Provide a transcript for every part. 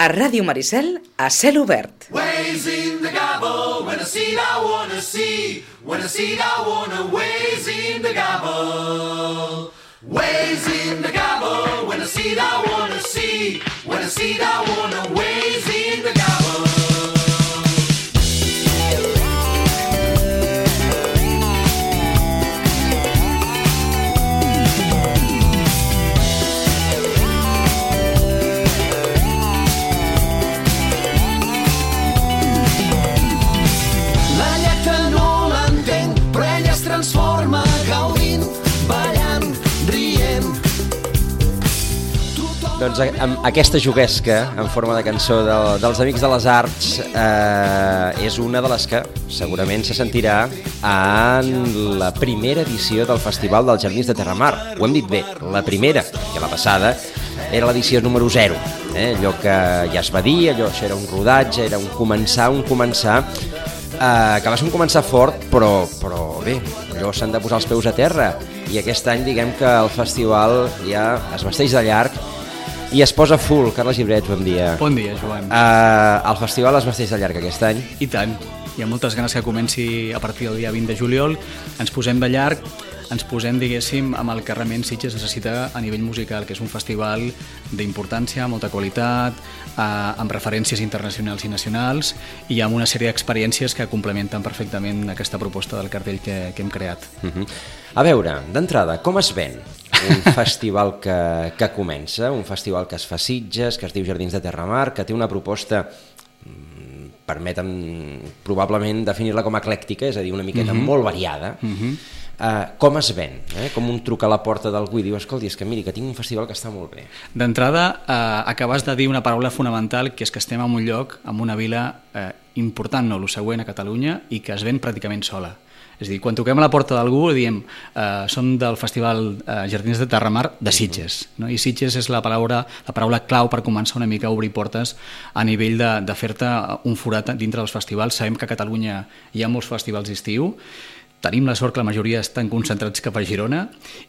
A Ràdio Maricel, a cel obert. Ways in the gobble, when I see it I wanna see, when I see it I wanna, ways in the gobble. Ways in the gobble, when I see it I wanna see, when I see it I wanna, ways in the gobble. Transforma gaudint, ballant, rient. Doncs aquesta juguesca en forma de cançó dels Amics de les Arts és una de les que segurament se sentirà en la primera edició del Festival dels Jardins de Terramar. Ho hem dit bé, la primera, que la passada era l'edició número 0. Allò que ja es va dir, això era un rodatge, era un començar, que va ser un començar fort, però bé, allò s'han de posar els peus a terra, i aquest any diguem que el festival ja es vesteix de llarg i es posa full. Carles Gibret, bon dia. Bon dia, Joan. El festival es vesteix de llarg aquest any? I tant, hi ha moltes ganes que comenci a partir del dia 20 de juliol, ens posem de llarg, ens posem, diguéssim, amb el que realment Sitges necessita a nivell musical, que és un festival d'importància, molta qualitat, amb referències internacionals i nacionals, i amb una sèrie d'experiències que complementen perfectament aquesta proposta del cartell que hem creat. A veure, d'entrada, com es ven un festival que comença, un festival que es fa a Sitges, que es diu Jardins de Terramar, que té una proposta, permetem probablement definir-la com eclèctica, és a dir, una miqueta molt variada. Com es ven? Com un truc a la porta d'algú i diu, escolti, és que miri, que tinc un festival que està molt bé. D'entrada, acabes de dir una paraula fonamental, que és que estem en un lloc, en una vila important, no, el següent a Catalunya, i que es ven pràcticament sola. És a dir, quan toquem a la porta d'algú diem som del Festival Jardins de Terramar de Sitges, no? I Sitges és la paraula clau per començar una mica a obrir portes a nivell de fer-te un forat dintre dels festivals. Sabem que a Catalunya hi ha molts festivals d'estiu, tenim la sort que la majoria estan concentrats cap a Girona,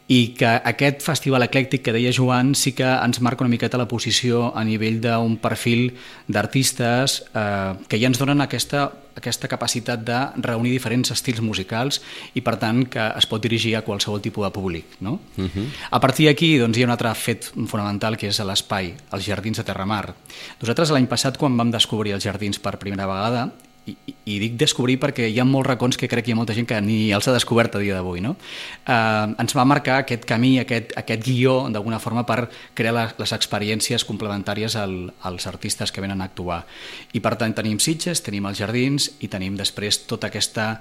i que aquest festival eclèctic que deia Joan sí que ens marca una miqueta la posició a nivell d'un perfil d'artistes que ja ens donen aquesta capacitat de reunir diferents estils musicals i, per tant, que es pot dirigir a qualsevol tipus de públic, no? A partir d'aquí doncs, hi ha un altre fet fonamental, que és l'espai, els Jardins de Terramar. Nosaltres l'any passat, quan vam descobrir els jardins per primera vegada, i dic descobrir perquè hi ha molts racons que crec que hi ha molta gent que ni els ha descobert a dia d'avui, no? Ens va marcar aquest camí, aquest guió, d'alguna forma, per crear les experiències complementàries als artistes que venen a actuar. I, per tant, tenim Sitges, tenim els jardins i tenim després tota aquesta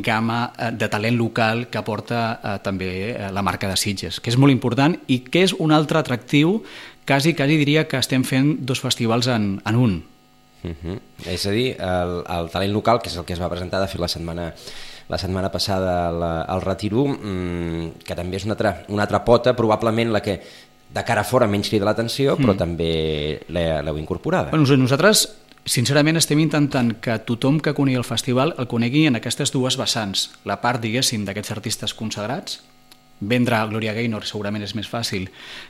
gamma de talent local que aporta també la marca de Sitges, que és molt important i que és un altre atractiu. Quasi diria que estem fent dos festivals en un. És a dir, el talent local, que és el que es va presentar de fet la setmana passada al Retiro, que també és una altra pota, probablement la que de cara a fora menys crida l'atenció, però també l'heu incorporada. Nosaltres, sincerament, estem intentant que tothom que conegui el festival el conegui en aquestes dues vessants. La part, diguéssim, d'aquests artistes consagrats. Vendre Gloria Gaynor segurament és més fàcil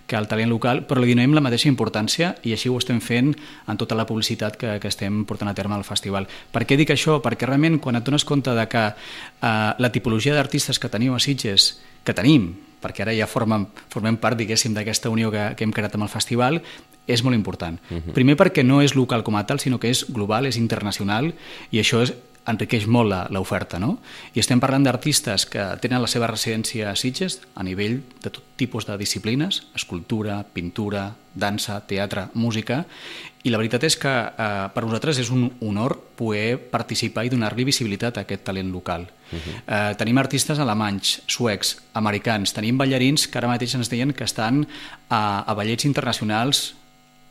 que el talent local, però li donem la mateixa importància, i així ho estem fent en tota la publicitat que estem portant a terme al festival. Per què dic això? Perquè realment quan et dones compte de que la tipologia d'artistes que teniu a Sitges, que tenim, perquè ara ja formem part, diguéssim, d'aquesta unió que hem creat amb el festival, és molt important. Primer perquè no és local com a tal, sinó que és global, és internacional, i això enriqueix molt l'oferta, no? I estem parlant d'artistes que tenen la seva residència a Sitges a nivell de tot tipus de disciplines, escultura, pintura, dansa, teatre, música, i la veritat és que per nosaltres és un honor poder participar i donar-li visibilitat a aquest talent local. Tenim artistes alemanys, suecs, americans, tenim ballarins que ara mateix ens deien que estan a ballets internacionals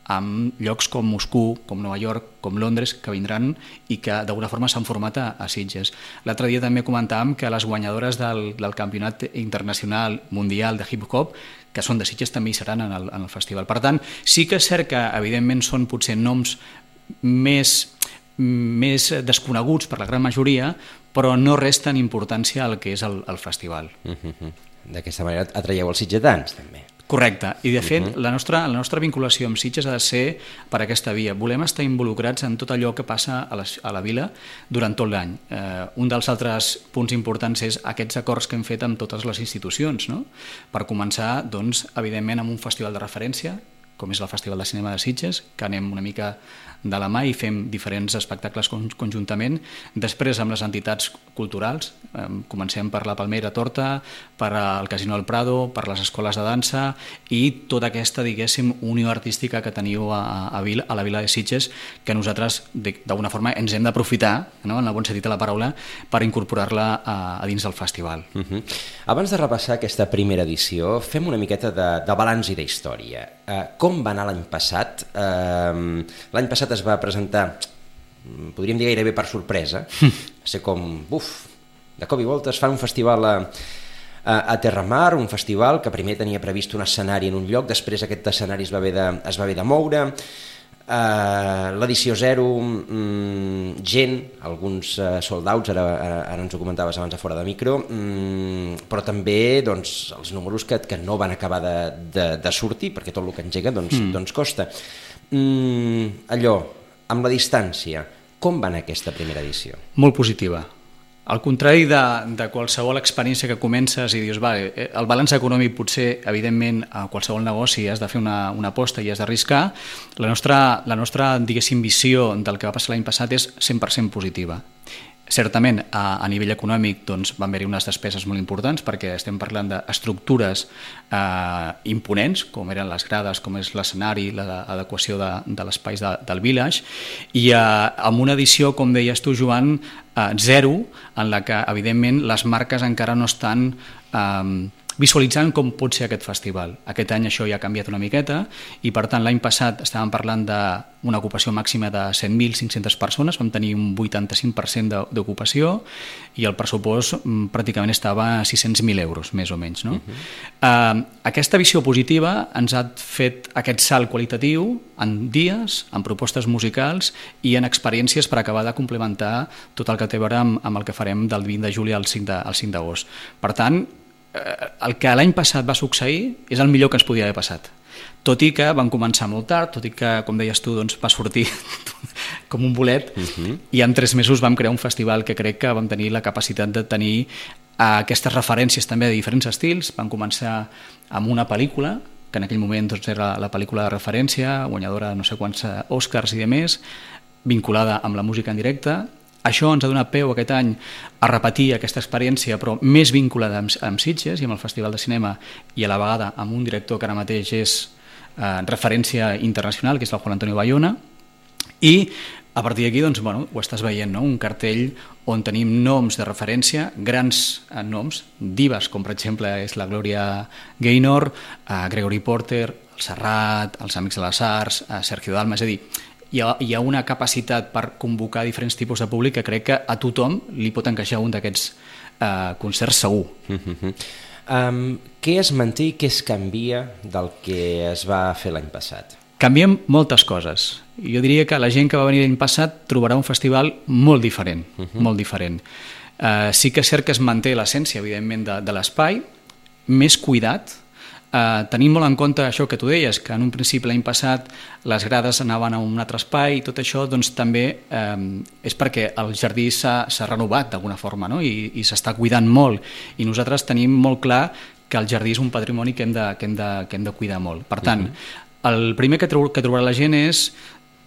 amb llocs com Moscou, com Nova York, com Londres, que vindran i que d'alguna forma s'han format a Sitges. L'altre dia també comentàvem que les guanyadores del Campionat Internacional Mundial de Hip Hop, que són de Sitges, també hi seran en el festival. Per tant, sí que és cert que evidentment són potser noms més desconeguts per la gran majoria, però no resten importància al que és el festival. D'aquesta manera atraieu els sitgetans, també. Correcte, i de fet la nostra vinculació amb Sitges ha de ser per aquesta via. Volem estar involucrats en tot allò que passa a la vila durant tot l'any. Un dels altres punts importants és aquests acords que hem fet amb totes les institucions, no? Per començar, doncs, evidentment, amb un festival de referència, com és el Festival de Cinema de Sitges, que anem una mica de la mà i fem diferents espectacles conjuntament. Després amb les entitats culturals, comencem per la Palmera Torta, per al Casino del Prado, per les escoles de dansa i tota aquesta, diguéssim, unió artística que teniu a la vila de Sitges, que nosaltres d'alguna forma ens hem d'aprofitar, no? En el bon sentit de la paraula, per incorporar-la a dins del festival. Abans de repassar aquesta primera edició, fem una miqueta de balanç i d'història. Com va anar l'any passat? L'any passat es va presentar, podríem dir gairebé per sorpresa, va ser com, de cop i volta es fa un festival a Terramar, un festival que primer tenia previst un escenari en un lloc, després aquest escenari es va haver de moure, l'edició 0, gent, alguns sold outs, ara ens ho comentaves abans a fora de micro, però també doncs, els números que no van acabar de sortir, perquè tot el que engega doncs costa. Allò, amb la distància, com va anar aquesta primera edició? Molt positiva. Al contrari de qualsevol experiència que comences i dius, el balanç econòmic potser, evidentment, a qualsevol negoci has de fer una aposta i has d'arriscar, la nostra, diguéssim, visió del que va passar l'any passat és 100% positiva. Certament, a nivell econòmic doncs, van haver-hi unes despeses molt importants perquè estem parlant d'estructures imponents, com eren les grades, com és l'escenari, l'adequació de l'espais del village, i amb una edició, com deies tu, Joan, 0, en la que, evidentment, les marques encara no estan visualitzant com pot ser aquest festival. Aquest any això ja ha canviat una miqueta i, per tant, l'any passat estàvem parlant d'una ocupació màxima de 100.500 persones, vam tenir un 85% d'ocupació i el pressupost pràcticament estava a 600.000 euros, més o menys. No? Aquesta visió positiva ens ha fet aquest salt qualitatiu en dies, en propostes musicals i en experiències per acabar de complementar tot el que té a veure amb el que farem del 20 de juli al 5 d'agost. Per tant, el que l'any passat va succeir és el millor que ens podia haver passat. Tot i que van començar molt tard, tot i que, com deies tu, doncs, va sortir com un bolet, i en 3 mesos vam crear un festival que crec que vam tenir la capacitat de tenir aquestes referències també de diferents estils. Vam començar amb una pel·lícula, que en aquell moment doncs, era la pel·lícula de referència, guanyadora de no sé quants Oscars i de més, vinculada amb la música en directe. Això ens ha donat peu aquest any a repetir aquesta experiència, però més vinculada amb Sitges i amb el Festival de Cinema, i a la vegada amb un director que ara mateix és referència internacional, que és el Juan Antonio Bayona, i a partir d'aquí doncs, ho estàs veient, no? Un cartell on tenim noms de referència, grans noms, divas, com per exemple és la Gloria Gaynor, Gregory Porter, el Serrat, els Amics de les Arts, Sergio Dalma, és a dir, hi ha una capacitat per convocar diferents tipus de públic que crec que a tothom li pot encaixar un d'aquests concerts segur. Què es manté i què es canvia del que es va fer l'any passat? Canviem moltes coses. Jo diria que la gent que va venir l'any passat trobarà un festival molt diferent, molt diferent. Sí que és cert que es manté l'essència, evidentment, de l'espai, més cuidat. Tenim molt en compte això que tu deies, que en un principi l'any passat les grades anaven a un altre espai i tot això doncs, també és perquè el jardí s'ha renovat d'alguna forma, no? I s'està cuidant molt, i nosaltres tenim molt clar que el jardí és un patrimoni que hem de cuidar molt. Per tant, el primer que trobarà la gent és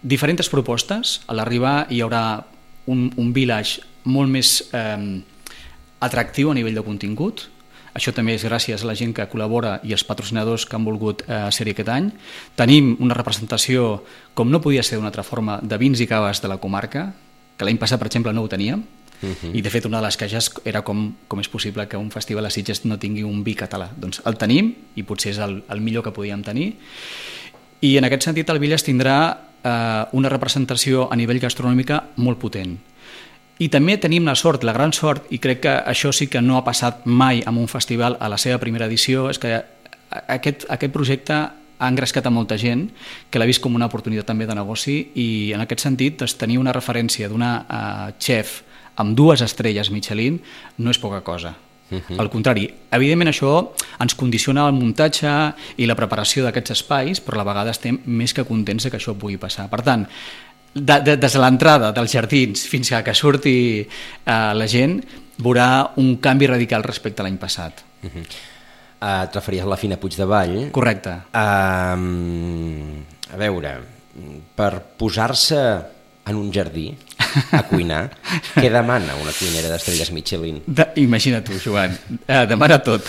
diferents propostes. A l'arribar hi haurà un village molt més atractiu a nivell de contingut. Això també és gràcies a la gent que col·labora i els patrocinadors que han volgut ser-hi aquest any. Tenim una representació, com no podia ser d'una altra forma, de vins i caves de la comarca, que l'any passat, per exemple, no ho teníem. I, de fet, una de les queixes era com és possible que un festival a Sitges no tingui un vi català. Doncs el tenim, i potser és el millor que podíem tenir. I, en aquest sentit, el Village tindrà una representació a nivell gastronòmica molt potent. I també tenim la sort, la gran sort, i crec que això sí que no ha passat mai en un festival a la seva primera edició, és que aquest projecte ha engrescat a molta gent que l'ha vist com una oportunitat també de negoci, i en aquest sentit tenir una referència d'una xef amb 2 estrelles Michelin no és poca cosa. Al contrari, evidentment això ens condiciona el muntatge i la preparació d'aquests espais, però a la vegada estem més que contents que això pugui passar. Per tant, des de l'entrada dels jardins fins que surti la gent, veurà un canvi radical respecte a l'any passat. Et referies a la Fina Puigdevall. Correcte. A veure, per posar-se en un jardí a cuinar, què demana una cuinera d'estrelles Michelin? Imagina tu, Joan, demana tot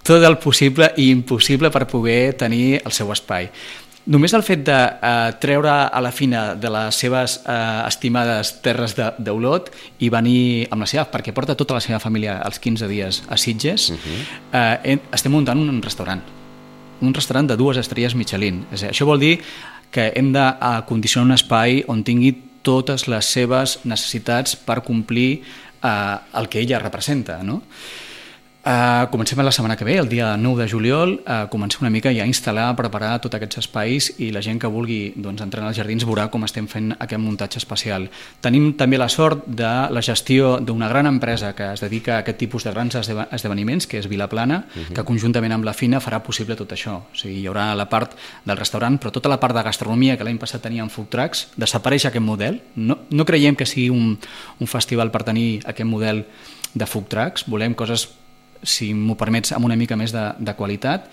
el possible i impossible per poder tenir el seu espai. Només el fet de treure a la Fina de les seves estimades terres d'Olot i venir amb la seva, perquè porta tota la seva família els 15 dies a Sitges, estem muntant un restaurant de 2 estrelles Michelin. Això vol dir que hem de condicionar un espai on tingui totes les seves necessitats per complir el que ella representa, no? Comencem la setmana que ve, el dia 9 de juliol, comencem una mica ja a instal·lar, a preparar tots aquests espais i la gent que vulgui entrar als jardins veurà com estem fent aquest muntatge especial. Tenim també la sort de la gestió d'una gran empresa que es dedica a aquest tipus de grans esdeveniments, que és Vilaplana, que conjuntament amb la Fina farà possible tot això. O sigui, hi haurà la part del restaurant, però tota la part de gastronomia que l'any passat teníem food trucks, desapareix aquest model. No creiem que sigui un festival per tenir aquest model de food trucks, volem coses, si m'ho permets, amb una mica més de qualitat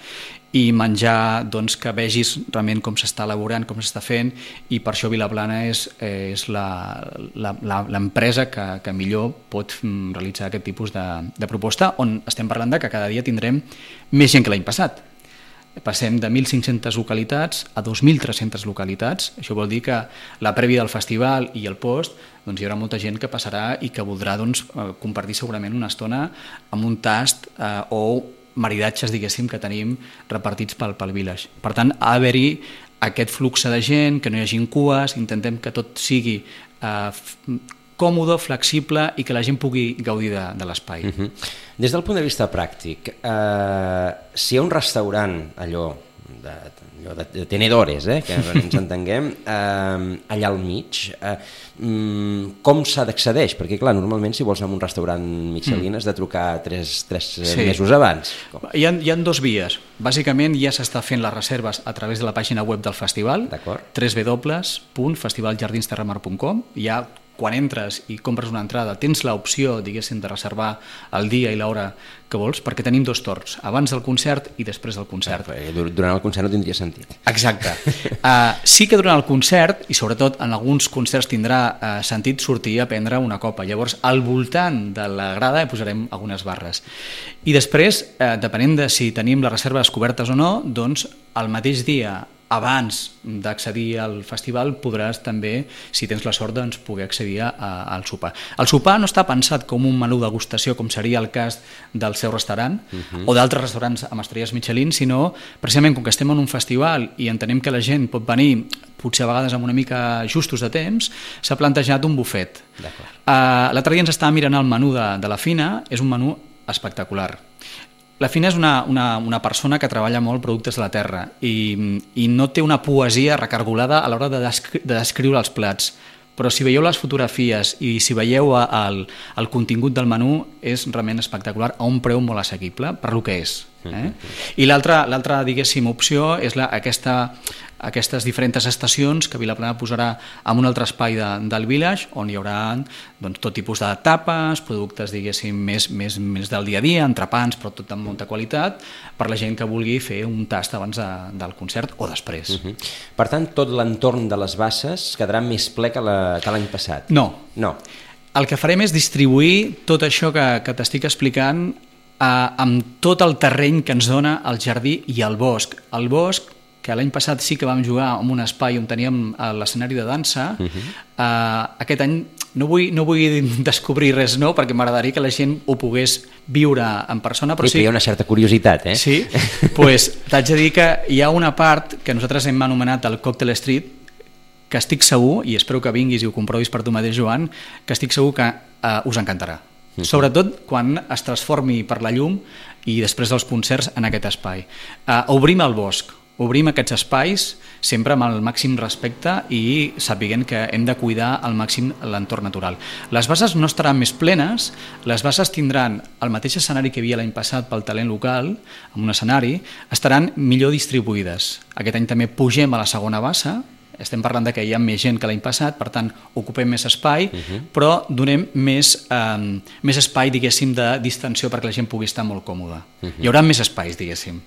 i menjar que vegis realment com s'està elaborant, com s'està fent, i per això Vilaplana és l'empresa que millor pot realitzar aquest tipus de proposta, on estem parlant de que cada dia tindrem més gent que l'any passat. Passem de 1.500 localitats a 2.300 localitats. Això vol dir que la prèvia del festival i el post hi haurà molta gent que passarà i que voldrà compartir segurament una estona amb un tast o maridatges, diguéssim, que tenim repartits pel village. Per tant, ha d'haver-hi aquest flux de gent, que no hi hagi cues, intentem que tot sigui còmode, flexible i que la gent pugui gaudir de l'espai. Des del punt de vista pràctic, si hi ha un restaurant allò de tenedores, que ens entenguem, allà al mig, com s'ha d'accedeix? Perquè, clar, normalment si vols anar a un restaurant Michelin has de trucar 3 mesos abans. Hi ha 2 vies. Bàsicament ja s'està fent les reserves a través de la pàgina web del festival, www.festivaljardinsterramar.com. Quan entres i compres una entrada tens l'opció, diguéssim, de reservar el dia i l'hora que vols, perquè tenim 2 torns, abans del concert i després del concert. Durant el concert no tindria sentit. Exacte. Sí que durant el concert, i sobretot en alguns concerts tindrà sentit sortir a prendre una copa. Llavors, al voltant de la grada posarem algunes barres. I després, depenent de si tenim les reserves cobertes o no, doncs el mateix dia, abans d'accedir al festival, podràs també, si tens la sort, poder accedir al sopar. El sopar no està pensat com un menú degustació, com seria el cas del seu restaurant o d'altres restaurants amb estrelles Michelin, sinó precisament com que estem en un festival i entenem que la gent pot venir potser a vegades amb una mica justos de temps, s'ha plantejat un bufet. L'altre dia ens estava mirant el menú de la Fina, és un menú espectacular. La Fina és una persona que treballa molt productes de la terra i no té una poesia recargolada a l'hora de descriure els plats, però si veieu les fotografies i si veieu el contingut del menú és realment espectacular a un preu molt assequible per lo que és. I l'altra, diguéssim, opció és aquestes diferents estacions que Vilaplana posarà en un altre espai del village on hi haurà tot tipus de tapes, productes, diguéssim, més del dia a dia, entrepans, però tot amb molta qualitat, per la gent que vulgui fer un tast abans del concert o després. Per tant, tot l'entorn de les basses quedarà més ple que l'any passat? No. El que farem és distribuir tot això que t'estic explicant amb tot el terreny que ens dona el jardí i el bosc. El bosc, que l'any passat sí que vam jugar en un espai on teníem l'escenari de dansa, aquest any no vull descobrir res nou perquè m'agradaria que la gent ho pogués viure en persona, però sí. Hi ha una certa curiositat, Sí, doncs t'haig de dir que hi ha una part que nosaltres hem anomenat el Cocktail Street, que estic segur, i espero que vinguis i ho comprovis per tu mateix, Joan, que estic segur que us encantarà. Sobretot quan es transformi per la llum i després dels concerts en aquest espai. Obrim el bosc. obrim aquests espais sempre amb el màxim respecte i sapiguent que hem de cuidar al màxim l'entorn natural. Les bases no estaran més plenes, les bases tindran el mateix escenari que hi havia l'any passat pel talent local, amb un escenari, estaran millor distribuïdes. Aquest any també pugem a la segona base, estem parlant de que hi ha més gent que l'any passat, per tant ocupem més espai, però donem més espai, diguéssim, de distensió perquè la gent pugui estar molt còmoda. Hi haurà més espais, diguéssim.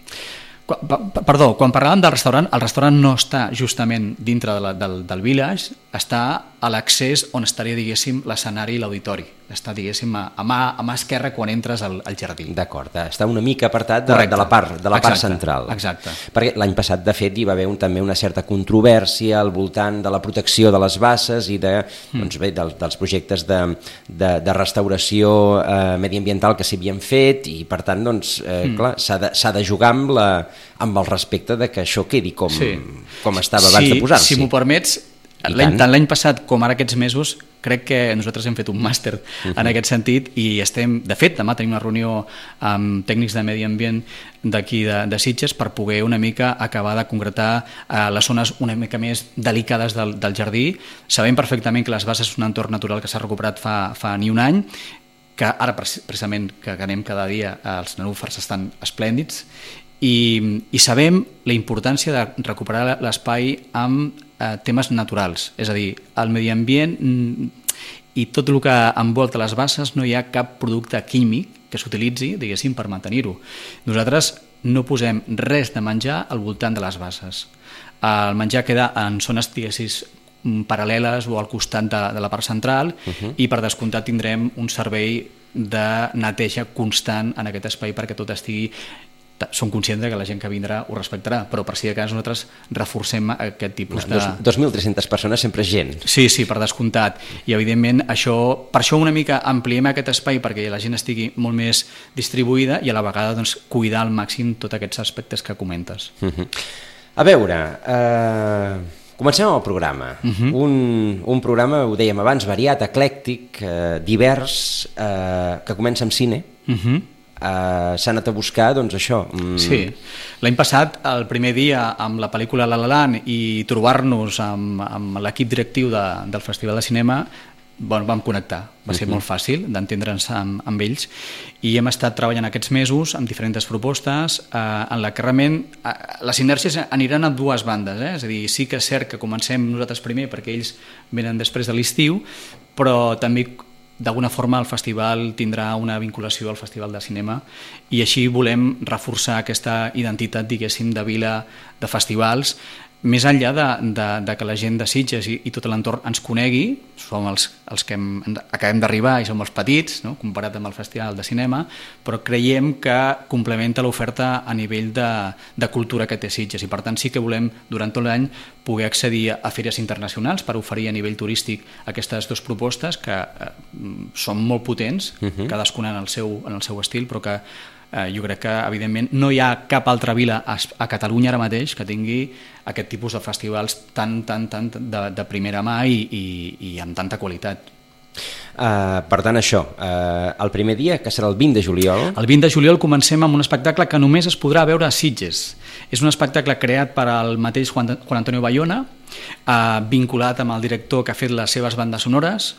Perdó, quan parlàvem del restaurant, el restaurant no està justament dintre del village, està a l'accés on estaria, diguéssim, l'escenari i l'auditori. Està, diguéssim, a mà esquerra quan entres al jardí. D'acord, està una mica apartat de la part central. Exacte. Perquè l'any passat, de fet, hi va haver també una certa controvèrsia al voltant de la protecció de les basses i dels projectes de restauració mediambiental que s'havien fet i, per tant, clar, s'ha de jugar amb el respecte de que això quedi com estava abans de posar-s'hi. Si m'ho permets, tant l'any passat com ara aquests mesos, crec que nosaltres hem fet un màster en aquest sentit i estem, de fet, demà tenim una reunió amb tècnics de medi ambient d'aquí de Sitges per poder una mica acabar de concretar les zones una mica més delicades del jardí. Sabem perfectament que les bases és un entorn natural que s'ha recuperat fa ni un any, que ara precisament que anem cada dia els nenúfars estan esplèndids i sabem la importància de recuperar l'espai amb temes naturals, és a dir, el medi ambient i tot el que envolta les basses no hi ha cap producte químic que s'utilitzi, diguéssim, per mantenir-ho. Nosaltres no posem res de menjar al voltant de les basses. El menjar queda en zones, diguéssim, paral·leles o al costat de la part central i per descomptat tindrem un servei de neteja constant en aquest espai perquè tot estigui... Som conscients que la gent que vindrà ho respectarà, però per si de cas nosaltres reforcem aquest tipus de... 2.300 persones sempre és gent. Sí, per descomptat. I evidentment per això una mica ampliem aquest espai perquè la gent estigui molt més distribuïda i a la vegada cuidar al màxim tots aquests aspectes que comentes. A veure... Comencem amb el programa. Un programa, ho dèiem abans, variat, eclèctic, divers, que comença amb cine. S'ha anat a buscar, doncs això... Sí, l'any passat, el primer dia amb la pel·lícula La La Land i trobar-nos amb l'equip directiu del Festival de Cinema, vam connectar, va ser molt fàcil d'entendre'ns amb ells i hem estat treballant aquests mesos amb diferents propostes en la que realment les inèrcies aniran a dues bandes, és a dir, sí que és cert que comencem nosaltres primer perquè ells venen després de l'estiu, però també d'alguna forma el festival tindrà una vinculació al Festival de Cinema i així volem reforçar aquesta identitat, diguéssim, de vila de festivals, més enllà de que la gent de Sitges i tot l'entorn ens conegui, som els que acabem d'arribar i som els petits, no? Comparat amb el Festival de Cinema, però creiem que complementa l'oferta a nivell de cultura que té Sitges i per tant sí que volem durant tot l'any poder accedir a fires internacionals per oferir a nivell turístic aquestes dues propostes que són molt potents, cadascuna en el seu estil, però que jo crec que evidentment no hi ha cap altra vila a Catalunya ara mateix que tingui aquest tipus de festivals tan de primera mà i amb tanta qualitat. Per tant, això, el primer dia, que serà el 20 de juliol... El 20 de juliol comencem amb un espectacle que només es podrà veure a Sitges. És un espectacle creat per el mateix Juan Antonio Bayona, vinculat amb el director que ha fet les seves bandes sonores,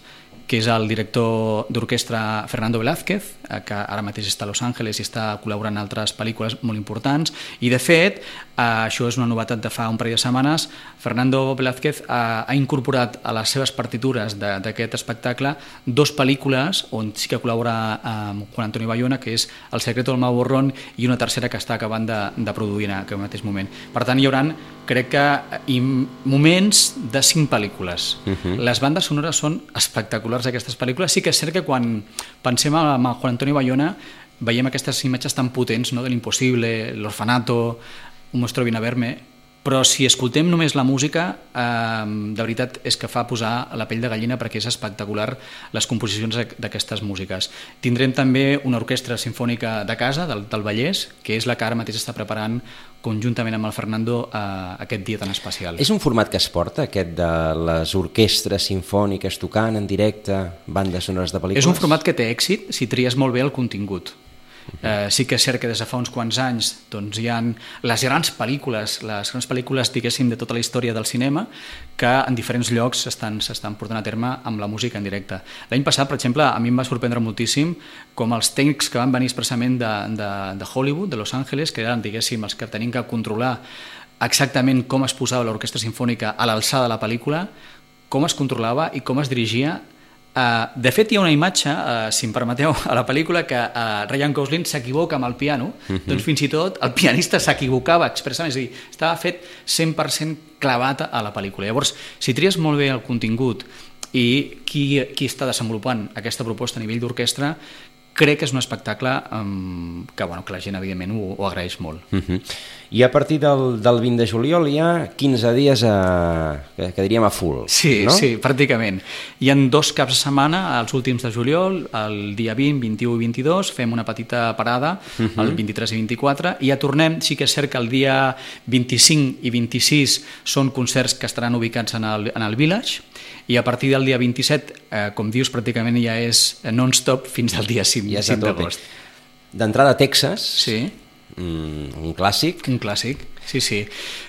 que és el director d'orquestra Fernando Velázquez, que ara mateix està a Los Angeles i està col·laborant en altres pel·lícules molt importants. I, de fet, això és una novetat de fa un parell de setmanes, Fernando Velázquez ha incorporat a les seves partitures d'aquest espectacle dos pel·lícules on sí que col·labora amb Juan Antonio Bayona, que és El secreto del Mago Borrón i una tercera que està acabant de produir en aquest mateix moment. Per tant, hi haurà, crec que, moments de 5 pel·lícules. Les bandes sonores són espectaculars d'aquestes pel·lícules. Sí que és cert que quan pensem en Juan Antonio Bayona veiem aquestes imatges tan potents, no? De l'impossible, l'orfanato, Un monstruo viene a verme, però si escoltem només la música, de veritat és que fa posar la pell de gallina perquè és espectacular les composicions d'aquestes músiques. Tindrem també una orquestra sinfònica de casa, del Vallès, que és la que ara mateix està preparant conjuntament amb el Fernando aquest dia tan especial. És un format que es porta, aquest de les orquestres sinfòniques tocant en directe bandes sonores de pel·lícules? És un format que té èxit si tries molt bé el contingut. Sí que és cert que des de fa uns quants anys doncs, hi ha les grans pel·lícules, diguéssim, de tota la història del cinema, que en diferents llocs s'estan portant a terme amb la música en directe. L'any passat, per exemple, a mi em va sorprendre moltíssim com els tècnics que van venir expressament de Hollywood, de Los Angeles, que eren, diguéssim, els que tenien que controlar exactament com es posava l'orquestra sinfònica a l'alçada de la pel·lícula, com es controlava i com es dirigia. De fet, hi ha una imatge, si em permeteu, a la pel·lícula que Ryan Gosling s'equivoca amb el piano, doncs fins i tot el pianista s'equivocava expressament, és a dir, estava fet 100% clavat a la pel·lícula. Llavors, si tries molt bé el contingut i qui està desenvolupant aquesta proposta a nivell d'orquestra, crec que és un espectacle que la gent, evidentment, ho agraeix molt. I a partir del 20 de juliol hi ha 15 dies que diríem a full, sí, no? Sí, pràcticament. Hi ha 2 caps de setmana, els últims de juliol, el dia 20, 21 i 22, fem una petita parada, el 23 i 24, i ja tornem. Sí que és cert que el dia 25 i 26 són concerts que estaran ubicats en el Village, i a partir del dia 27, com dius, pràcticament ja és non-stop fins al dia 5 d'agost. D'entrada a Texas, sí. Un clàssic. Un clàssic, sí.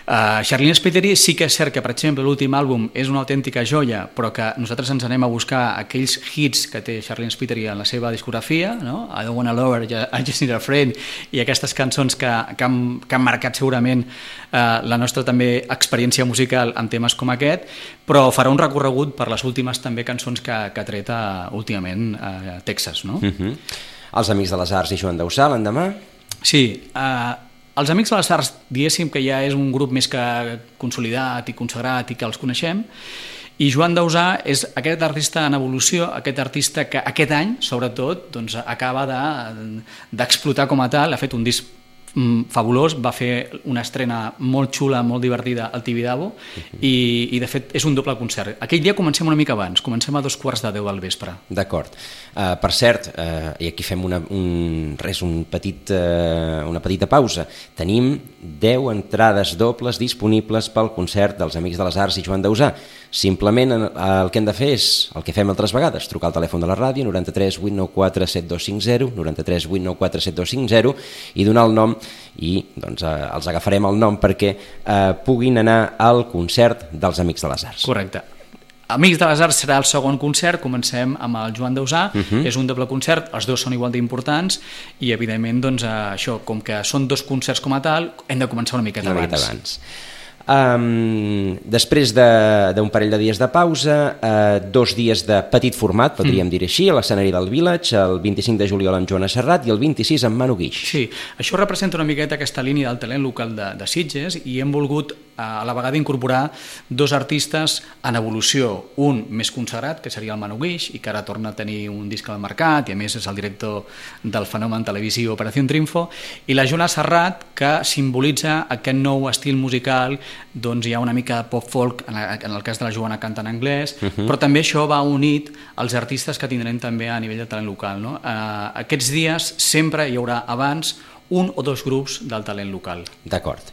Charlene Spiteri sí que és cert que, per exemple, l'últim àlbum és una autèntica joia, però que nosaltres ens anem a buscar aquells hits que té Charlene Spiteri en la seva discografia, no? I Don't Wanna Love Her, I Just Need a Friend, i aquestes cançons que han marcat segurament la nostra també experiència musical en temes com aquest, però farà un recorregut per les últimes també cançons que ha tret últimament a Texas, no? Els Amics de les Arts i Joan Dausà l'endemà? Sí, els Amics de les Arts, diguéssim que ja és un grup més que consolidat i consagrat i que els coneixem, i Joan Dausà és aquest artista en evolució, aquest artista que aquest any, sobretot, doncs, acaba d'explotar com a tal, ha fet un disc fabulós, va fer una estrena molt xula, molt divertida al Tibidabo i de fet és un doble concert. Aquell dia comencem una mica abans, comencem a 2:15 del vespre. D'acord. Per cert, i aquí fem una petita pausa, tenim 10 entrades dobles disponibles pel concert dels Amics de les Arts i Joan Dausà. Simplement el que hem de fer és el que fem altres vegades, trucar al telèfon de la ràdio 93 894 7250, 93 894 7250, i donar el nom, i doncs els agafarem el nom perquè puguin anar al concert dels Amics de les Arts. Correcte. Amics de les Arts serà el segon concert, comencem amb el Joan Dausà, és un doble concert, els dos són igual d'importants i evidentment doncs, això, com que són 2 concerts com a tal, hem de començar una miqueta abans. Després d'un parell de dies de pausa, 2 dies de petit format, podríem dir així, a l'escenari del Village, el 25 de juliol amb Joana Serrat i el 26 amb Manu Guix. Sí, això representa una miqueta aquesta línia del talent local de Sitges, i hem volgut a la vegada incorporar 2 artistes en evolució, un més consagrat, que seria el Manu Guix, i que ara torna a tenir un disc al mercat i a més és el director del fenomen televisiu Operación Triunfo, i la Joana Serrat, que simbolitza aquest nou estil musical. Doncs hi ha una mica de pop-folk, en el cas de la Joana canta en anglès, però també això va unit als artistes que tindrem també a nivell de talent local, no? Aquests dies sempre hi haurà abans 1 o 2 grups del talent local. D'acord.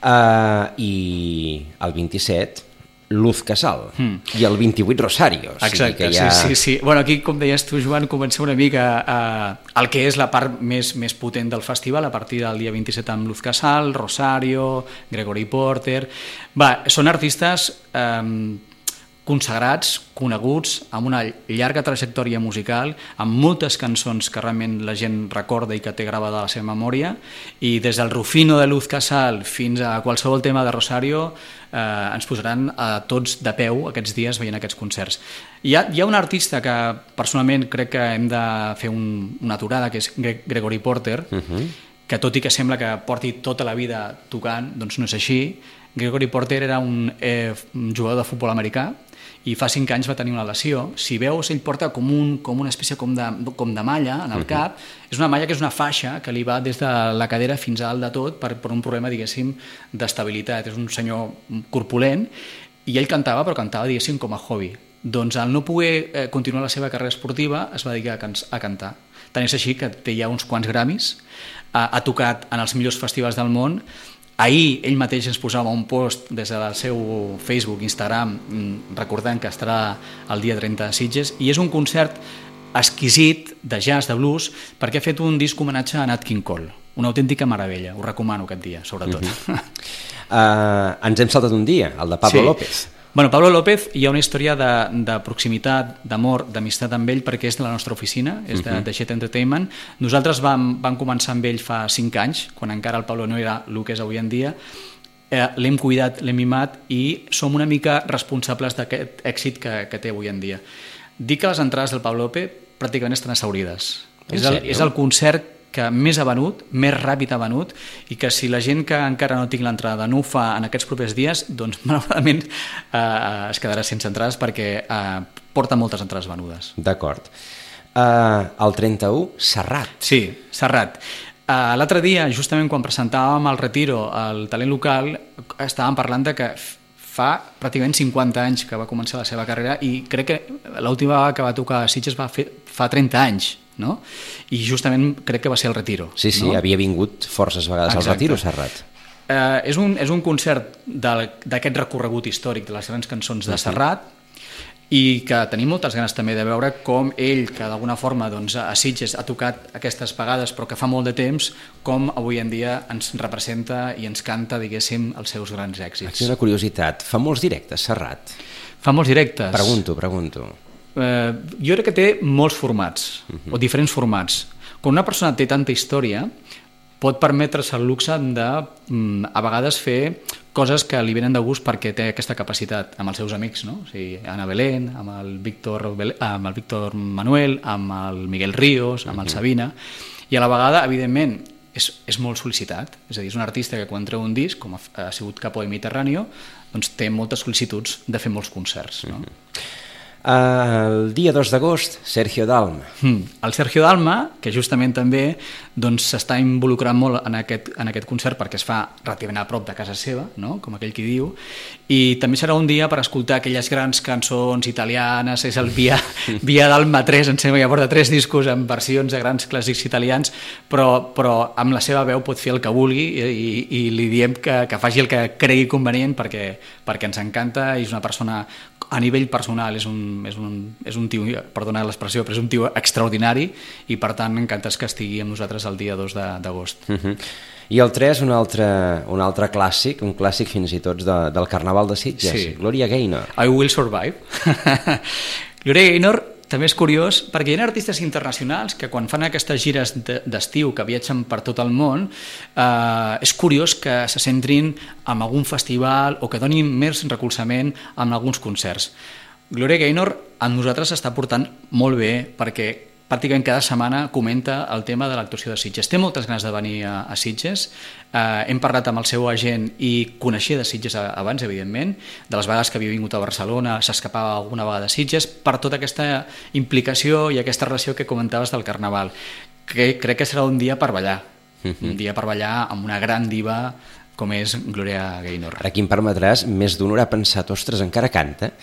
I el 27 Luz Casal i el 28 Rosario. Exacte, sí. Bueno, aquí, com deies tu, Joan, comencem una mica el que és la part més potent del festival, a partir del dia 27 amb Luz Casal, Rosario, Gregory Porter. Són artistes consagrats, coneguts, amb una llarga trajectòria musical, amb moltes cançons que realment la gent recorda i que té gravada a la seva memòria, i des del Rufino de Luz Casal fins a qualsevol tema de Rosario ens posaran a tots de peu aquests dies veient aquests concerts. Hi ha un artista que personalment crec que hem de fer una aturada, que és Gregory Porter, que tot i que sembla que porti tota la vida tocant, doncs no és així. Gregory Porter era un jugador de futbol americà i fa 5 anys va tenir una lesió. Si veus, ell porta com una espècie com de malla en el cap. És una malla que és una faixa que li va des de la cadera fins a dalt de tot per un problema, diguéssim, d'estabilitat. És un senyor corpulent i ell cantava, però cantava, diguéssim, com a hobby. Doncs al no poder continuar la seva carrera esportiva es va dedicar a cantar. Tant és així que té ja uns quants Grammys, ha tocat en els millors festivals del món. Ahir ell mateix ens posava un post des del seu Facebook, Instagram, recordant que estarà el dia 30 a Sitges, i és un concert exquisit de jazz, de blues, perquè ha fet un disc homenatge a Nat King Cole. Una autèntica meravella, ho recomano aquest dia, sobretot. Ens hem saltat un dia, el de Pablo López. Bueno, Pablo López, hi ha una història de proximitat, d'amor, d'amistat amb ell, perquè és de la nostra oficina, és de Jet Entertainment. Nosaltres vam començar amb ell fa 5 anys, quan encara el Pablo no era el que és avui en dia. L'hem cuidat, l'hem mimat i som una mica responsables d'aquest èxit que té avui en dia. Dic que les entrades del Pablo López pràcticament estan asseurides. És el concert que més ha venut, més ràpid ha venut, i que si la gent que encara no tinc l'entrada no ho fa en aquests propers dies, doncs malauradament es quedarà sense entrades perquè porta moltes entrades venudes. D'acord. El 31, Serrat. Sí, Serrat. L'altre dia, justament quan presentàvem el Retiro al talent local, estàvem parlant de que fa pràcticament 50 anys que va començar la seva carrera i crec que l'última vegada que va tocar a Sitges fa 30 anys, no? I justament crec que va ser el Retiro. Sí, no? Havia vingut forces vegades al Retiro, Serrat. És un concert d'aquest recorregut històric de les grans cançons de Serrat i que tenim moltes ganes també de veure com ell, que d'alguna forma doncs, a Sitges ha tocat aquestes vegades però que fa molt de temps, com avui en dia ens representa i ens canta, diguéssim, els seus grans èxits. Aquí una curiositat, fa molts directes, Serrat? Fa molts directes. Pregunto. Jo crec que té molts formats, o diferents formats. Quan una persona té tanta història, pot permetre's el luxe de, a vegades, fer coses que li venen de gust perquè té aquesta capacitat amb els seus amics, no? O sigui, Ana Belén, amb el Víctor Manuel, amb el Miguel Ríos, amb el Sabina, i a la vegada, evidentment, és molt sol·licitat. És a dir, és un artista que quan treu un disc, com ha sigut Capo de Mediterráneo, doncs té moltes sol·licituds de fer molts concerts, no? El dia 2 d'agost, Sergio Dalma. El Sergio Dalma, que justament també s'està involucrant molt en aquest concert perquè es fa relativament a prop de casa seva, no? Com aquell qui diu, i també serà un dia per escoltar aquelles grans cançons italianes, és el Via Dalma 3, em sembla que ja porta 3 discos amb versions de grans clàssics italians, però amb la seva veu pot fer el que vulgui i li diem que faci el que cregui convenient perquè ens encanta i és una persona, a nivell personal és un tio, perdona l'expressió, però és un tio extraordinari i per tant encantes que estigui amb nosaltres el dia 2 d'agost. I el 3, un altre clàssic, un clàssic fins i tot del Carnaval de Sitges, Gloria Gaynor. I Will Survive. Gloria Gaynor també és curiós perquè hi ha artistes internacionals que quan fan aquestes gires d'estiu que viatgen per tot el món és curiós que se centrin en algun festival o que donin més recolzament en alguns concerts. Gloria Gaynor amb nosaltres està portant molt bé perquè pràcticament cada setmana comenta el tema de l'actuació de Sitges. Té moltes ganes de venir a Sitges. Hem parlat amb el seu agent i coneixia de Sitges abans, evidentment, de les vegades que havia vingut a Barcelona, s'escapava alguna vegada de Sitges, per tota aquesta implicació i aquesta relació que comentaves del Carnaval. Crec que serà un dia per ballar, un dia per ballar amb una gran diva com és Gloria Gaynor. Aquí em permetràs, més d'un haurà pensat, ostres, encara canta?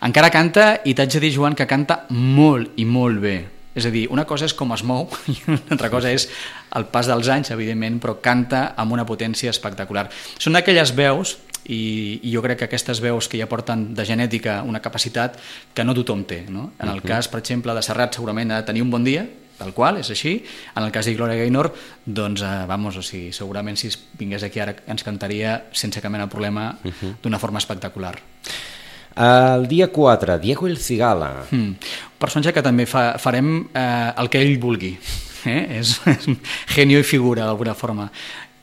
Encara canta i t'haig de dir, Joan, que canta molt i molt bé. És a dir, una cosa és com es mou i una altra cosa és el pas dels anys, evidentment, però canta amb una potència espectacular. Són d'aquelles veus, i jo crec que aquestes veus que ja porten de genètica una capacitat que no tothom té, no? En el cas, per exemple, de Serrat segurament ha de tenir un bon dia, tal qual, és així. En el cas de Gloria Gaynor, doncs, segurament si vingués aquí ara ens cantaria sense cap mena de problema d'una forma espectacular. El dia 4, Diego El Cigala. Un personatge que també farem el que ell vulgui. És genio i figura, d'alguna forma.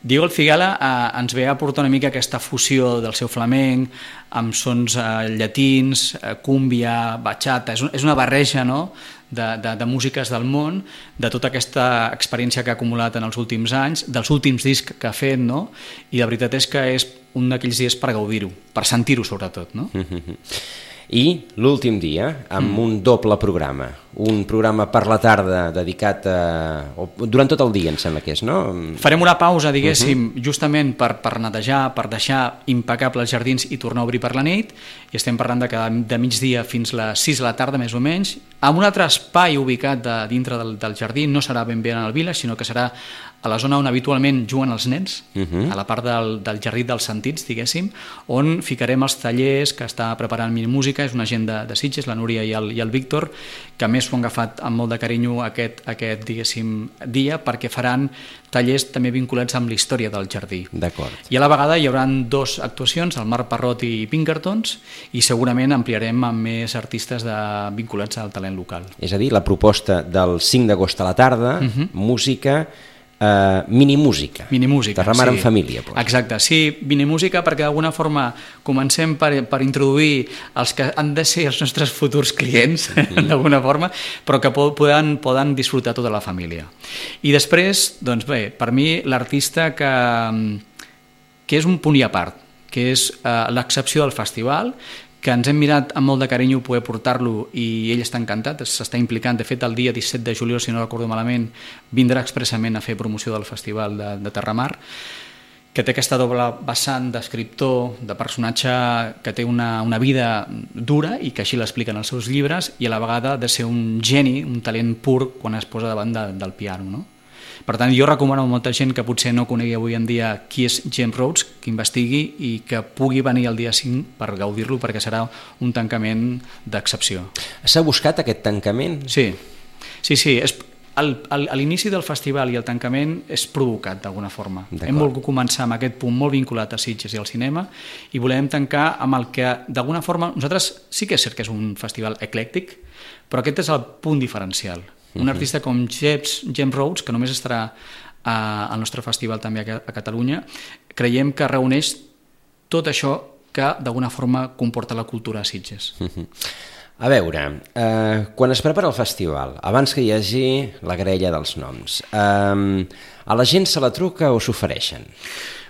Diego El Cigala ens ve a aportar una mica aquesta fusió del seu flamenc amb sons llatins, cúmbia, bachata. És una barreja, no?, de músiques del món, de tota aquesta experiència que ha acumulat en els últims anys, dels últims discs que ha fet, no? I la veritat és que és un d'aquells dies per gaudir-ho, per sentir-ho sobretot, no? I l'últim dia, amb un doble programa, un programa per la tarda dedicat durant tot el dia, em sembla que és, no? Farem una pausa, diguéssim, justament per netejar, per deixar impecables els jardins i tornar a obrir per la nit, i estem parlant de migdia fins a les 6 de la tarda, més o menys, amb un altre espai ubicat dintre del jardí, no serà ben bé en el Village, sinó que serà a la zona on habitualment juguen els nens, a la part del jardí dels sentits, diguéssim, on ficarem els tallers que està preparant Minimúsica, és una gent de Sitges, la Núria i el Víctor, que a més s'ho han agafat amb molt de carinyo aquest diguéssim, dia, perquè faran tallers també vinculats amb la història del jardí. D'acord. I a la vegada hi haurà 2 actuacions, el Marc Parrot i Pinkertons, i segurament ampliarem amb més artistes vinculats al talent local. És a dir, la proposta del 5 d'agost a la tarda, música, Minimúsica. Minimúsica, Terramar sí. en família. Doncs. Exacte, sí, Minimúsica perquè d'alguna forma comencem per introduir els que han de ser els nostres futurs clients, d'alguna forma, però que poden disfrutar tota la família. I després, doncs bé, per mi l'artista que és un punt i a part, que és l'excepció del festival, que ens hem mirat amb molt de carinyo poder portar-lo i ell està encantat, s'està implicant. De fet, el dia 17 de juliol, si no recordo malament, vindrà expressament a fer promoció del Festival de Terramar, que té aquesta doble vessant d'escriptor, de personatge que té una vida dura i que així l'expliquen els seus llibres, i a la vegada de ser un geni, un talent pur quan es posa davant del piano, no? Per tant, jo recomano a molta gent que potser no conegui avui en dia qui és James Rhodes, que investigui i que pugui venir el dia 5 per gaudir-lo, perquè serà un tancament d'excepció. S'ha buscat aquest tancament? Sí. A l'inici del festival i el tancament és provocat d'alguna forma. Hem volgut començar amb aquest punt molt vinculat a Sitges i al cinema i volem tancar amb el que d'alguna forma nosaltres sí que és cert que és un festival eclèctic, però aquest és el punt diferencial. Un artista com James Rhodes, que només estarà al nostre festival també a Catalunya, creiem que reuneix tot això que d'alguna forma comporta la cultura a Sitges. A veure, quan es prepara el festival, abans que hi hagi la graella dels noms, a la gent se la truca o s'ofereixen?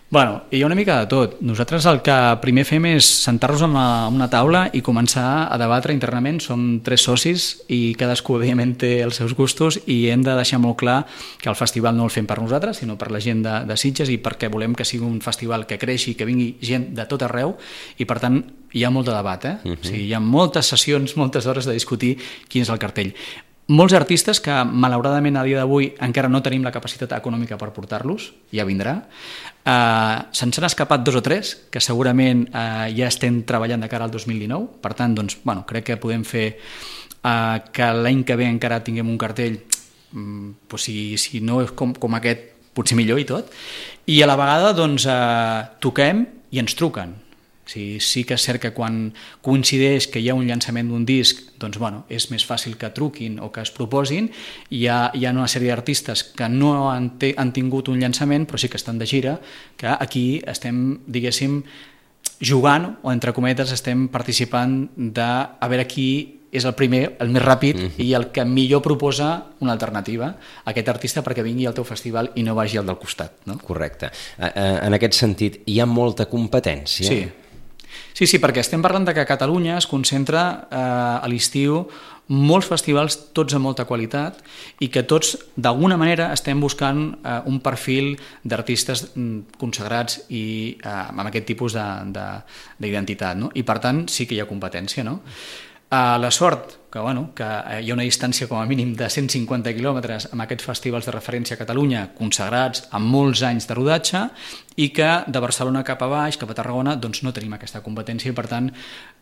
Bueno, hi ha una mica de tot. Nosaltres el que primer fem és sentar-nos en una taula i començar a debatre internament. Som 3 socis i cadascú, evidentment, té els seus gustos i hem de deixar molt clar que el festival no el fem per nosaltres, sinó per la gent de Sitges i perquè volem que sigui un festival que creixi, que vingui gent de tot arreu i, per tant, hi ha molt de debat. O sigui, hi ha moltes sessions, moltes hores de discutir quin és el cartell. Molts artistes que, malauradament, a dia d'avui encara no tenim la capacitat econòmica per portar-los, ja vindrà. Se'ns han escapat 2 o 3, que segurament ja estem treballant de cara al 2019. Per tant, doncs, bueno, crec que podem fer que l'any que ve encara tinguem un cartell, si no és com aquest, potser millor i tot. I a la vegada doncs, toquem i ens truquen. Sí que és cert que quan coincideix que hi ha un llançament d'un disc, doncs, bueno, és més fàcil que truquin o que es proposin. Hi ha una sèrie d'artistes que no han tingut un llançament, però sí que estan de gira, que aquí estem, diguéssim, jugant, o entre cometes estem participant a veure qui és el primer, el més ràpid i el que millor proposa una alternativa a aquest artista perquè vingui al teu festival i no vagi al del costat, no? Correcte. En aquest sentit, hi ha molta competència? Sí, perquè estem parlant de que a Catalunya es concentra a l'estiu molts festivals, tots amb molta qualitat, i que tots, d'alguna manera, estem buscant un perfil d'artistes consagrats i amb aquest tipus d'identitat, no? I, per tant, sí que hi ha competència, no? La sort que hi ha una distància com a mínim de 150 quilòmetres amb aquests festivals de referència a Catalunya consagrats amb molts anys de rodatge i que de Barcelona cap a baix, cap a Tarragona, doncs no tenim aquesta competència i, per tant,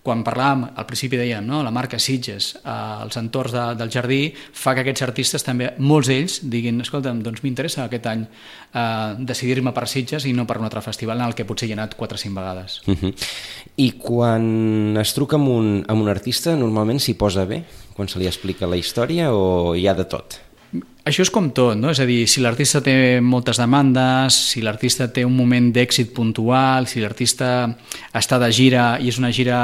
quan parlàvem, al principi dèiem, no? La marca Sitges, els entorns del jardí, fa que aquests artistes també, molts d'ells, diguin, escolta'm, doncs m'interessa aquest any decidir-me per Sitges i no per un altre festival en el que potser hi he anat 4 o 5 vegades. I quan es truca amb un artista, normalment s'hi posa bé? Quan se li explica la història o hi ha de tot? Això és com tot, no? És a dir, si l'artista té moltes demandes, si l'artista té un moment d'èxit puntual, si l'artista està de gira i és una gira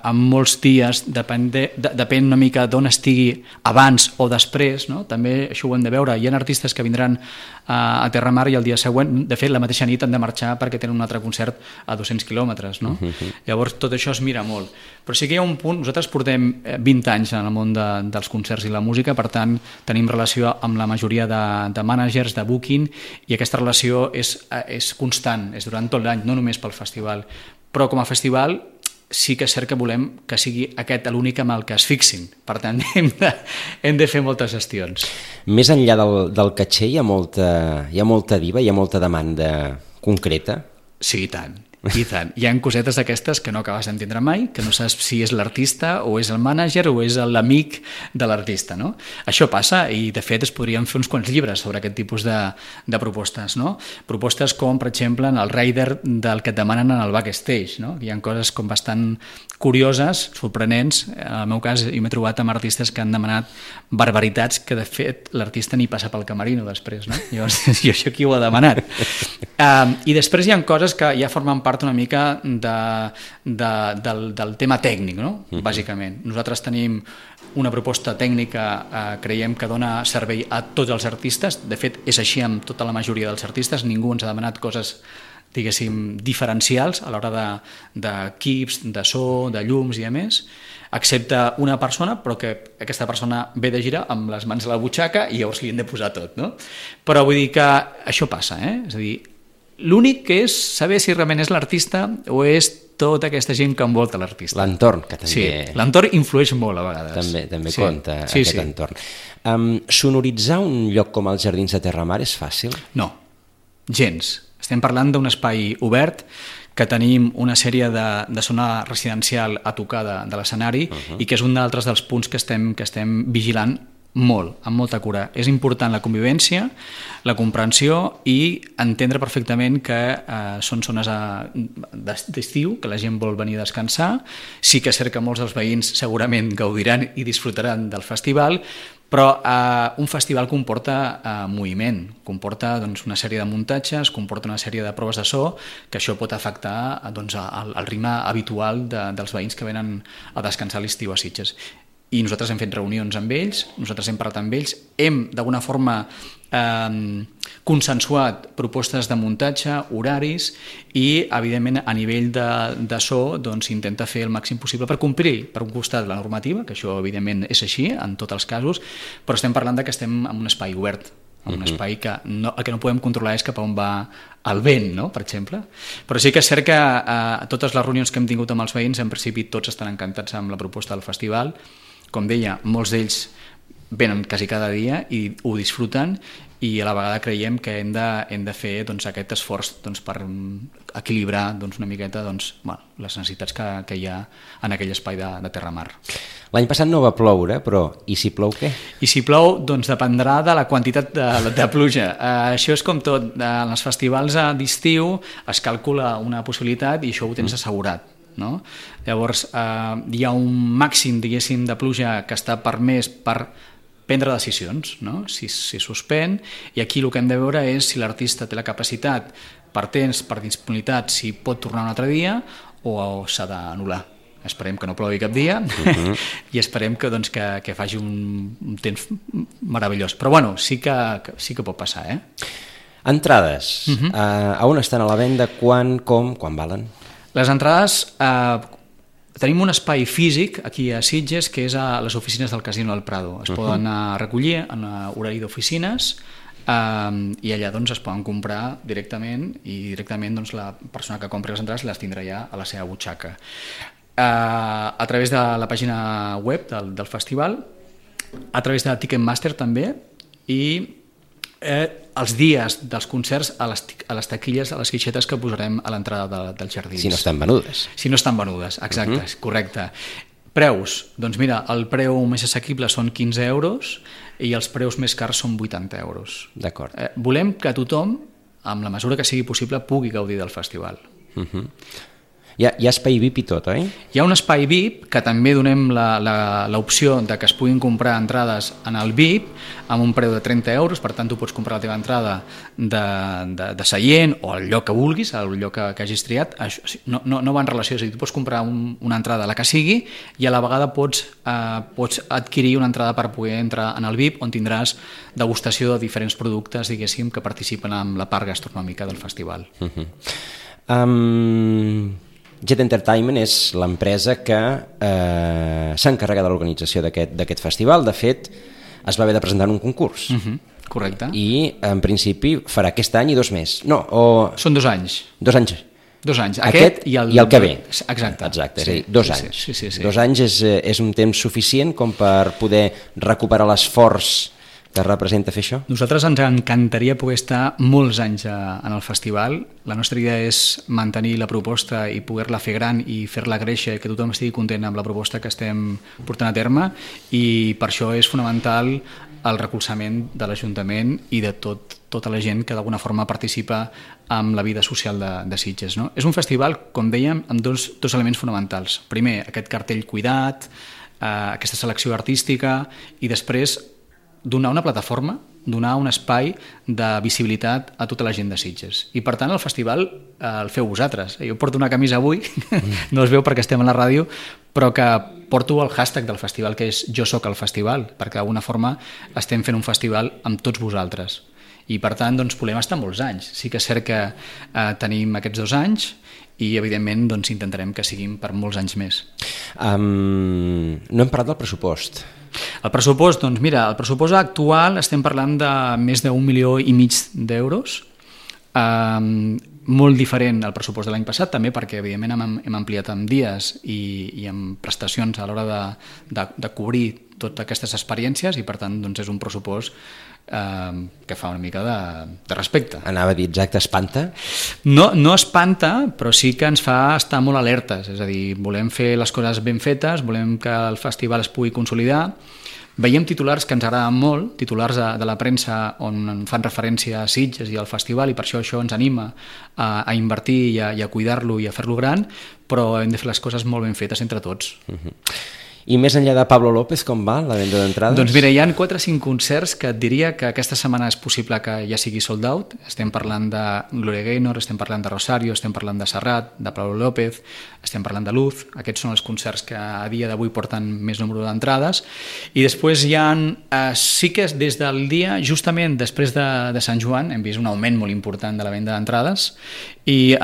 amb molts dies, depèn una mica d'on estigui abans o després, no? També això ho hem de veure. Hi ha artistes que vindran a Terramar i el dia següent, de fet, la mateixa nit han de marxar perquè tenen un altre concert a 200 quilòmetres, no? Llavors, tot això es mira molt. Però sí que hi ha un punt, nosaltres portem 20 anys en el món dels concerts i la música, per tant, tenim relació amb la majoria de mànagers, de booking, i aquesta relació és constant, és durant tot l'any, no només pel festival. Però com a festival sí que és cert que volem que sigui aquest l'únic amb el que es fixin. Per tant, hem de fer moltes gestions. Més enllà del caché hi ha molta diva, hi ha molta demanda concreta? Sí, i tant. I tant. Hi ha cosetes d'aquestes que no acabes d'entendre mai, que no saps si és l'artista o és el mànager o és l'amic de l'artista, no? Això passa i, de fet, es podrien fer uns quants llibres sobre aquest tipus de propostes, no? Propostes com, per exemple, en el rider del que et demanen en el backstage, no? Hi ha coses com bastant curioses, sorprenents. En el meu cas, jo m'he trobat amb artistes que han demanat barbaritats que, de fet, l'artista ni passa pel camerino després, no? Llavors, jo això qui ho ha demanat? I després hi ha coses que ja formen part una mica del tema tècnic, no? Bàsicament. Nosaltres tenim una proposta tècnica, creiem que dona servei a tots els artistes. De fet, és així amb tota la majoria dels artistes. Ningú ens ha demanat coses, diguéssim, diferencials a l'hora d'equips, de so, de llums i a més, excepte una persona, però que aquesta persona ve de gira amb les mans a la butxaca i llavors li hem de posar tot, no? Però vull dir que això passa, És a dir, l'únic que és saber si realment és l'artista o és tota aquesta gent que envolta l'artista. L'entorn, que també... Sí, l'entorn influeix molt a vegades. També compta aquest entorn. Sonoritzar un lloc com els Jardins de Terramar és fàcil? No, gens. Estem parlant d'un espai obert que tenim una sèrie de zona residencial a tocar de l'escenari i que és un d'altres dels punts que estem vigilant molt, amb molta cura. És important la convivència, la comprensió i entendre perfectament que són zones d'estiu, que la gent vol venir a descansar. Sí que és cert que molts dels veïns segurament gaudiran i disfrutaran del festival, però un festival comporta moviment, comporta una sèrie de muntatges, comporta una sèrie de proves de so, que això pot afectar el ritme habitual dels veïns que venen a descansar a l'estiu a Sitges. I nosaltres hem fet reunions amb ells, nosaltres hem parlat amb ells, hem d'alguna forma consensuat propostes de muntatge, horaris i, evidentment, a nivell de so s'intenta fer el màxim possible per complir, per un costat, la normativa, que això, evidentment, és així en tots els casos, però estem parlant que estem en un espai obert, en un espai que el que no podem controlar és cap a on va el vent, no? Per exemple. Però sí que és cert que totes les reunions que hem tingut amb els veïns, en principi tots estan encantats amb la proposta del festival. Com deia, molts d'ells venen quasi cada dia i ho disfruten i a la vegada creiem que hem de fer aquest esforç per equilibrar una miqueta les necessitats que hi ha en aquell espai de Terramar. L'any passat no va ploure, però i si plou què? I si plou, dependrà de la quantitat de pluja. Això és com tot. En els festivals d'estiu es calcula una possibilitat i això ho tens assegurat. No? Llavors hi ha un màxim, diguéssim, de pluja que està permès per prendre decisions, no? Si suspèn, i aquí el que hem de veure és si l'artista té la capacitat per temps, per disponibilitat, si pot tornar un altre dia o s'ha d'anul·lar. Esperem que no plogui cap dia i esperem que faci un temps meravellós, però bueno, sí que pot passar. Entrades, a on estan a la venda, quan valen? Les entrades, tenim un espai físic aquí a Sitges que és a les oficines del Casino del Prado. Es poden recollir en horari d'oficines i allà es poden comprar directament i directament la persona que compri les entrades les tindrà ja a la seva butxaca. A través de la pàgina web del festival, a través de Ticketmaster també i els dies dels concerts a les taquilles, a les guixetes que posarem a l'entrada dels jardins. Si no estan venudes. Si no estan venudes, exacte, correcte. Preus, doncs mira, el preu més assequible són 15 euros i els preus més cars són 80 euros. D'acord. Volem que tothom, amb la mesura que sigui possible, pugui gaudir del festival. Hi ha espai VIP i tot, oi? Hi ha un espai VIP que també donem l'opció de que es puguin comprar entrades en el VIP amb un preu de 30 euros, per tant tu pots comprar la teva entrada de seient o el lloc que vulguis, el lloc que hagis triat. No va en relació, és a dir, tu pots comprar una entrada, la que sigui, i a la vegada pots adquirir una entrada per poder entrar en el VIP on tindràs degustació de diferents productes, diguéssim, que participen en la part gastronòmica del festival. Jet Entertainment és l'empresa que s'encarrega de l'organització d'aquest festival. De fet, es va haver de presentar en un concurs. Correcte. I, en principi, farà aquest any i 2 més. No, Són 2 anys. 2 anys. 2 anys. Aquest i el que ve. Exacte. Exacte, és a dir, 2 anys. Sí. 2 anys és un temps suficient com per poder recuperar l'esforç que representa fer això? Nosaltres ens encantaria poder estar molts anys en el festival. La nostra idea és mantenir la proposta i poder-la fer gran i fer-la créixer, que tothom estigui content amb la proposta que estem portant a terme, i per això és fonamental el recolzament de l'Ajuntament i de tota la gent que d'alguna forma participa en la vida social de Sitges. No? És un festival, com dèiem, amb dos elements fonamentals. Primer, aquest cartell cuidat, aquesta selecció artística, i després donar una plataforma, donar un espai de visibilitat a tota la gent de Sitges. I per tant el festival el feu vosaltres. Jo porto una camisa avui, no es veu perquè estem a la ràdio, però que porto el hashtag del festival, que és Jo soc el festival, perquè d'alguna forma estem fent un festival amb tots vosaltres. I per tant doncs, volem estar molts anys. Sí que és cert que tenim aquests 2 anys i evidentment doncs, intentarem que siguin per molts anys més. No hem parlat del pressupost. El pressupost, doncs mira, el pressupost actual estem parlant de més d'1,5 milió d'euros, molt diferent al pressupost de l'any passat, també perquè evidentment hem ampliat amb dies i amb prestacions a l'hora de cobrir totes aquestes experiències, i per tant doncs, és un pressupost que fa una mica de respecte. Anava a dir, exacte, espanta? No espanta, però sí que ens fa estar molt alertes, és a dir, volem fer les coses ben fetes, volem que el festival es pugui consolidar. Veiem titulars que ens agraden molt, titulars de la premsa on fan referència a Sitges i al festival, i per això ens anima a invertir i a cuidar-lo i a fer-lo gran, però hem de fer les coses molt ben fetes entre tots. I més enllà de Pablo López, com va la venda d'entrades? Doncs mira, hi ha 4 o 5 concerts que et diria que aquesta setmana és possible que ja sigui sold out. Estem parlant de Gloria Gaynor, estem parlant de Rosario, estem parlant de Serrat, de Pablo López, estem parlant de Luz. Aquests són els concerts que a dia d'avui porten més número d'entrades. I després hi ha, sí que des del dia, justament després de Sant Joan, hem vist un augment molt important de la venda d'entrades, i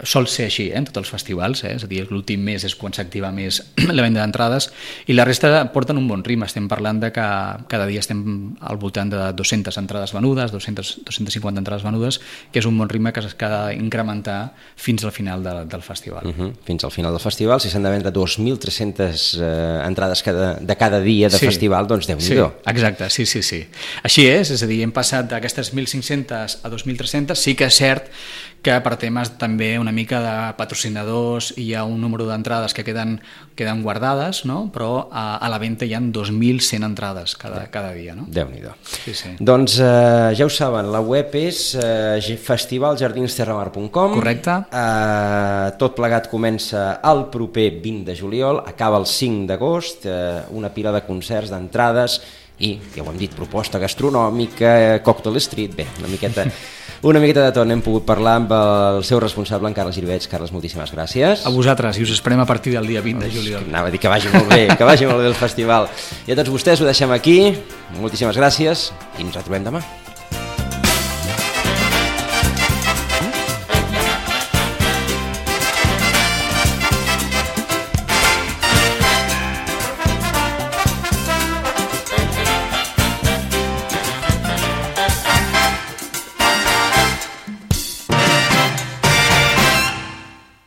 sol ser així en tots els festivals, és a dir, l'últim mes és quan s'activa més la venda d'entrades, i la resta porten un bon ritme. Estem parlant de que cada dia estem al voltant de 200 entrades venudes, 250 entrades venudes, que és un bon ritme que s'ha d'incrementar fins al final del festival. Fins al final del festival, si s'han de vendre 2.300 entrades de cada dia de festival, doncs Déu-n'hi-do. Sí, exacte, sí. Així és a dir, hem passat d'aquestes 1.500 a 2.300, sí que és cert que per temes també una mica de patrocinadors hi ha un número d'entrades que queden guardades, no? Però a la venda hi ha 2.100 entrades cada dia. No? Déu-n'hi-do. Sí. Doncs ja ho saben, la web és festivaljardinsterramar.com. Correcte. Tot plegat comença el proper 20 de juliol, acaba el 5 d'agost, una pila de concerts, d'entrades i, ja ho hem dit, proposta gastronòmica, cocktail street, bé, una miqueta de tot. N'hem pogut parlar amb el seu responsable, en Carles Girvets. Carles, moltíssimes gràcies. A vosaltres, i us esperem a partir del dia 20 de juliol. Anava a dir que vagi molt bé, el festival. I a tots vostès ho deixem aquí. Moltíssimes gràcies i ens retrobem demà.